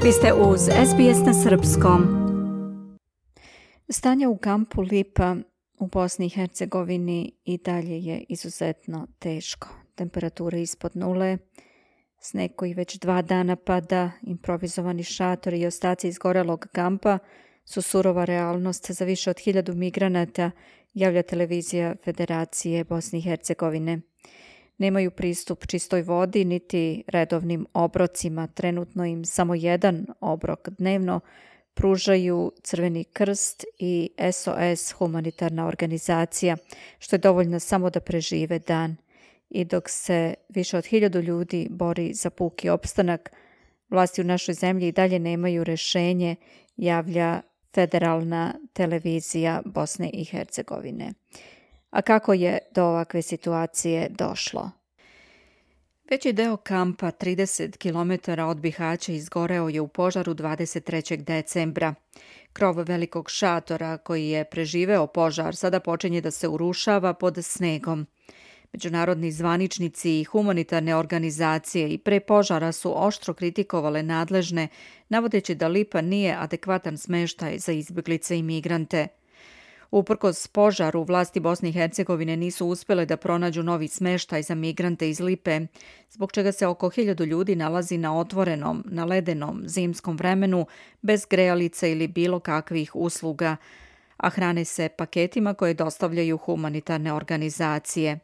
Vi ste uz SBS na srpskom. Stanje u kampu Lipa u Bosni i Hercegovini i dalje je izuzetno teško. Temperatura ispod nule, sneg koji već 2 dana pada, improvizovani šatori i ostaci izgorelog kampa su surova realnost za više od 1000 migranata, javlja televizija Federacije Bosne i Hercegovine. Nemaju pristup čistoj vodi niti redovnim obrocima. Trenutno im samo jedan obrok dnevno pružaju Crveni krst i SOS humanitarna organizacija, što je dovoljno samo da prežive dan. I dok se više od 1000 ljudi bori za puki opstanak, vlasti u našoj zemlji i dalje nemaju rješenje, javlja Federalna televizija Bosne i Hercegovine. A kako je do ovakve situacije došlo? Veći deo kampa, 30 km od Bihaća, izgoreo je u požaru 23. decembra. Krov velikog šatora koji je preživeo požar sada počinje da se urušava pod snegom. Međunarodni zvaničnici i humanitarne organizacije i pre požara su oštro kritikovale nadležne, navodeći da Lipa nije adekvatan smeštaj za izbjeglice i migrante. Uprkos požaru, vlasti Bosne i Hercegovine nisu uspjele da pronađu novi smeštaj za migrante iz Lipe, zbog čega se oko 1000 ljudi nalazi na otvorenom, na ledenom zimskom vremenu, bez grejalice ili bilo kakvih usluga, a hrane se paketima koje dostavljaju humanitarne organizacije.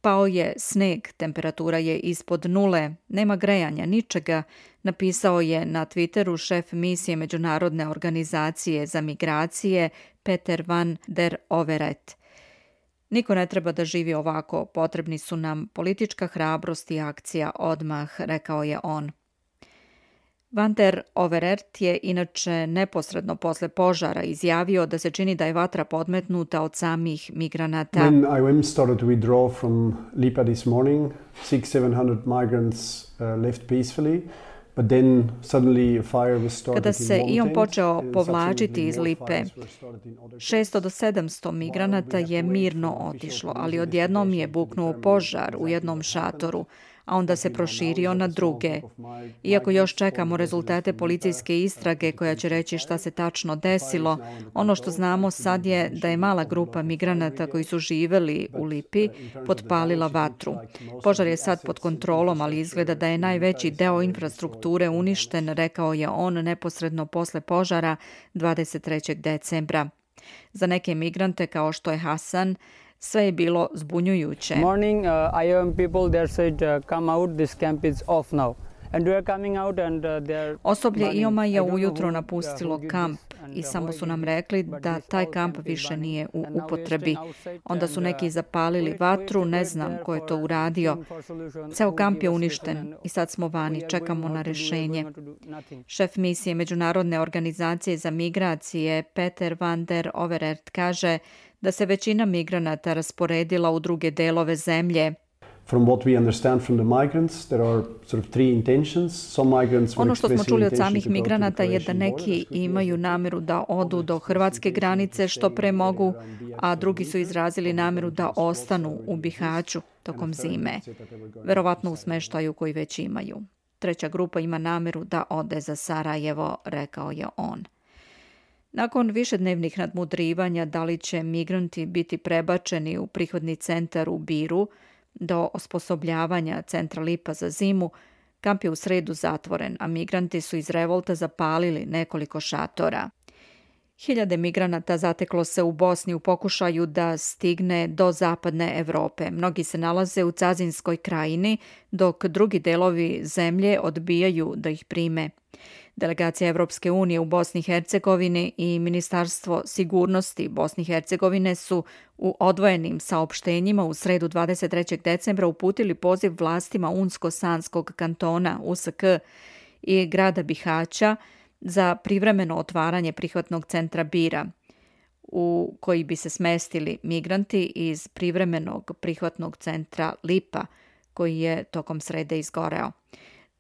Pao je sneg, temperatura je ispod nule, nema grejanja, ničega, napisao je na Twitteru šef misije Međunarodne organizacije za migracije Peter van der Overet. Niko ne treba da živi ovako, potrebni su nam politička hrabrost i akcija odmah, rekao je on. Van der Overet je inače neposredno posle požara izjavio da se čini da je vatra podmetnuta od samih migranata. When IOM started to withdraw from Lipa this morning, 600-700 migrants left peacefully. But then suddenly a fire was started. Kada se IOM počeo povlačiti iz Lipe, 600 do 700 migranata je mirno otišlo, ali odjednom je buknuo požar u jednom šatoru, a onda se proširio na druge. Iako još čekamo rezultate policijske istrage koja će reći šta se tačno desilo, ono što znamo sad je da je mala grupa migranata koji su živeli u Lipi potpalila vatru. Požar je sad pod kontrolom, ali izgleda da je najveći deo infrastrukture uništen, rekao je on neposredno posle požara 23. decembra. Za neke migrante kao što je Hasan, sve je bilo zbunjujuće. Morning, IOM people there said come out, this camp is off now. And we are coming out and they Osoblje IOM-a je ujutro napustilo kamp i samo su nam rekli da taj kamp više nije u upotrebi. Onda su neki zapalili vatru, ne znam ko je to uradio. Ceo kamp je uništen i sad smo vani, čekamo na rješenje. Šef misije Međunarodne organizacije za migracije Peter van der Overet kaže da se većina migranata rasporedila u druge delove zemlje. From what we understand from the migrants, there are sort of 3 intentions. Some migrants were Ono što smo expressing čuli od intention samih to go to the migranata je da Croatian neki border. imaju nameru da odu do hrvatske granice što pre mogu, a drugi su izrazili nameru da ostanu u Bihaću tokom zime, verovatno u smeštaju koji već imaju. Treća grupa ima nameru da ode za Sarajevo, rekao je on. Nakon višednevnih nadmudrivanja da li će migranti biti prebačeni u prihvatni centar u Biru do osposobljavanja centra Lipa za zimu, kamp je u sredu zatvoren, a migranti su iz revolta zapalili nekoliko šatora. Hiljade migranata zateklo se u Bosni u pokušaju da stigne do zapadne Evrope. Mnogi se nalaze u Cazinskoj krajini, dok drugi delovi zemlje odbijaju da ih prime. Delegacija Evropske unije u Bosni i Hercegovini i Ministarstvo sigurnosti Bosne i Hercegovine su u odvojenim saopštenjima u sredu 23. decembra uputili poziv vlastima Unsko-Sanskog kantona USK i grada Bihaća za privremeno otvaranje prihvatnog centra Bira, u koji bi se smestili migranti iz privremenog prihvatnog centra Lipa, koji je tokom srede izgoreo.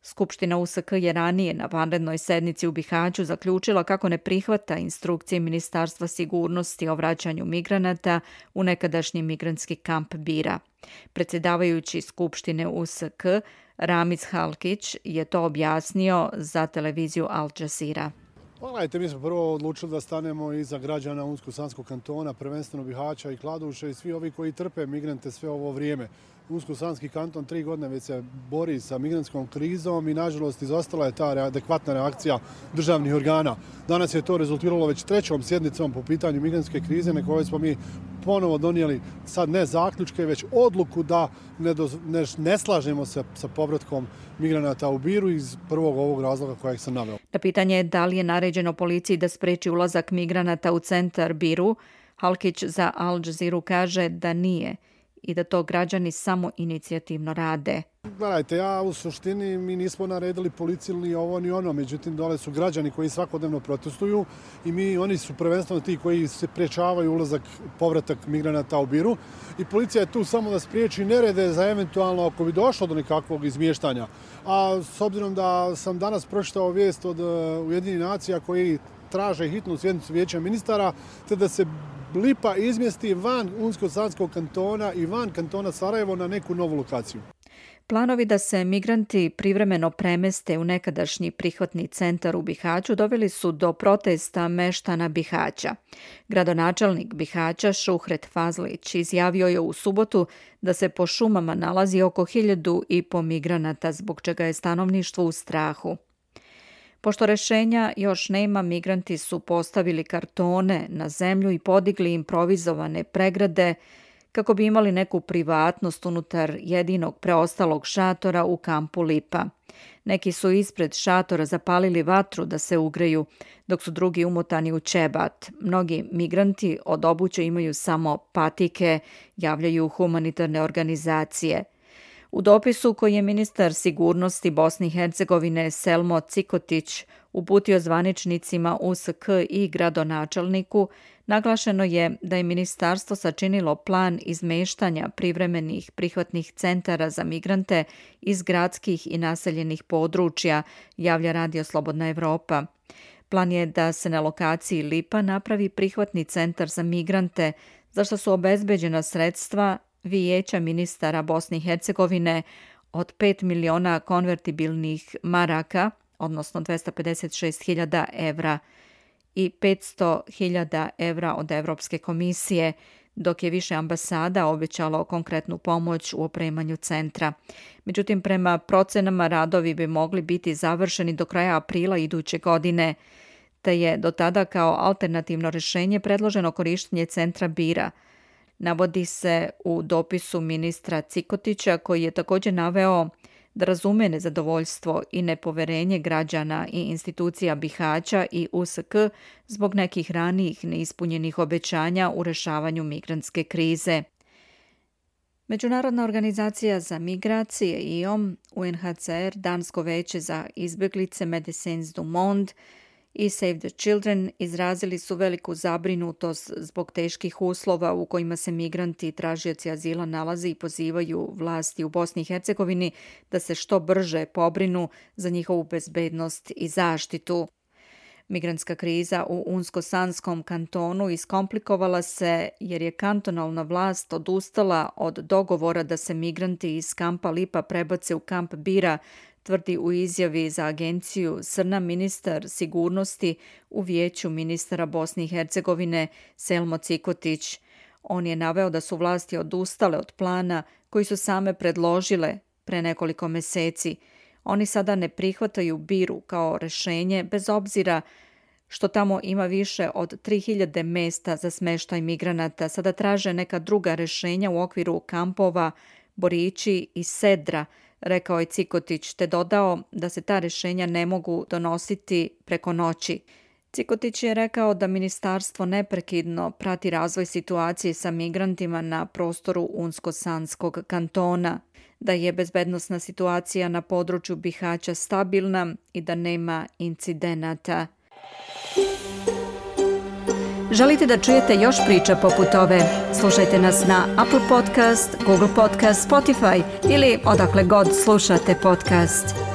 Skupština USK je ranije na vanrednoj sednici u Bihaću zaključila kako ne prihvata instrukcije Ministarstva sigurnosti o vraćanju migranata u nekadašnji migrantski kamp Bira. Predsjedavajući Skupštine USK Ramiz Halkić je to objasnio za televiziju Al Jazeera. Gledajte, mi smo prvo odlučili da stanemo iza građana Unsko-Sanskog kantona, prvenstveno Bihaća i Kladuše i svi ovi koji trpe migrante sve ovo vrijeme. Unsko-Sanski kanton 3 godine već se bori sa migrantskom krizom i nažalost izostala je ta adekvatna reakcija državnih organa. Danas je to rezultiralo već 3. sjednicom po pitanju migrantske krize na kojoj smo mi ponovo donijeli sad ne zaključke, već odluku da ne slažemo se sa povratkom migranata u Biru iz prvog ovog razloga kojeg sam naveo. Na pitanje da li je naređeno policiji da spreči ulazak migranata u centar Biru, Halkić za Al Jazeera kaže da nije i da to građani samo inicijativno rade. Gledajte, u suštini mi nismo naredili policiju ni ovo ni ono, međutim dole su građani koji svakodnevno protestuju i oni su prvenstveno ti koji se sprečavaju ulazak, povratak migranata u Biru i policija je tu samo da spriječi nerede za eventualno ako bi došlo do nekakvog izmještanja. A s obzirom da sam danas pročitao vijest od Ujedinjenih nacija koji traže hitnu sjednicu vijeća ministara, te da se Lipa izmjesti van Unsko-Sanskog kantona i van kantona Sarajevo na neku novu lokaciju. Planovi da se migranti privremeno premeste u nekadašnji prihvatni centar u Bihaću doveli su do protesta meštana Bihaća. Gradonačelnik Bihaća Šuhret Fazlić izjavio je u subotu da se po šumama nalazi oko 1.500 migranata, zbog čega je stanovništvo u strahu. Pošto rješenja još nema, migranti su postavili kartone na zemlju i podigli improvizovane pregrade kako bi imali neku privatnost unutar jedinog preostalog šatora u kampu Lipa. Neki su ispred šatora zapalili vatru da se ugreju, dok su drugi umotani u čebat. Mnogi migranti od obuće imaju samo patike, javljaju humanitarne organizacije. U dopisu koji je ministar sigurnosti Bosne i Hercegovine Selmo Cikotić uputio zvaničnicima USK i gradonačelniku, naglašeno je da je ministarstvo sačinilo plan izmeštanja privremenih prihvatnih centara za migrante iz gradskih i naseljenih područja, javlja Radio Slobodna Evropa. Plan je da se na lokaciji Lipa napravi prihvatni centar za migrante, za što su obezbeđena sredstva Vijeća ministara Bosne i Hercegovine od 5 miliona konvertibilnih maraka, odnosno 256.000 evra i 500.000 evra od Evropske komisije, dok je više ambasada obećalo konkretnu pomoć u opremanju centra. Međutim, prema procenama radovi bi mogli biti završeni do kraja aprila iduće godine, te je do tada kao alternativno rješenje predloženo korištenje centra Bira. Navodi se u dopisu ministra Cikotića, koji je također naveo da razume nezadovoljstvo i nepoverenje građana i institucija Bihaća i USK zbog nekih ranijih neispunjenih obećanja u rješavanju migrantske krize. Međunarodna organizacija za migracije IOM, UNHCR, Dansko veće za izbjeglice Médecins du Monde i Save the Children izrazili su veliku zabrinutost zbog teških uslova u kojima se migranti i tražioci azila nalaze i pozivaju vlasti u Bosni i Hercegovini da se što brže pobrinu za njihovu bezbednost i zaštitu. Migrantska kriza u Unsko-Sanskom kantonu iskomplikovala se jer je kantonalna vlast odustala od dogovora da se migranti iz kampa Lipa prebace u kamp Bira, tvrdi u izjavi za agenciju SRNA ministar sigurnosti u Vijeću ministara Bosne i Hercegovine Selmo Cikotić. On je naveo da su vlasti odustale od plana koji su same predložile pre nekoliko mjeseci. Oni sada ne prihvataju Biru kao rješenje bez obzira što tamo ima više od 3.000 mjesta za smještaj migranata. Sada traže neka druga rješenja u okviru kampova Borići i Sedra, rekao je Cikotić, te dodao da se ta rješenja ne mogu donositi preko noći. Cikotić je rekao da ministarstvo neprekidno prati razvoj situacije sa migrantima na prostoru Unsko-Sanskog kantona, da je bezbednosna situacija na području Bihaća stabilna i da nema incidenata. Želite da čujete još priča poput ove? Slušajte nas na Apple Podcast, Google Podcast, Spotify ili odakle god slušate podcast.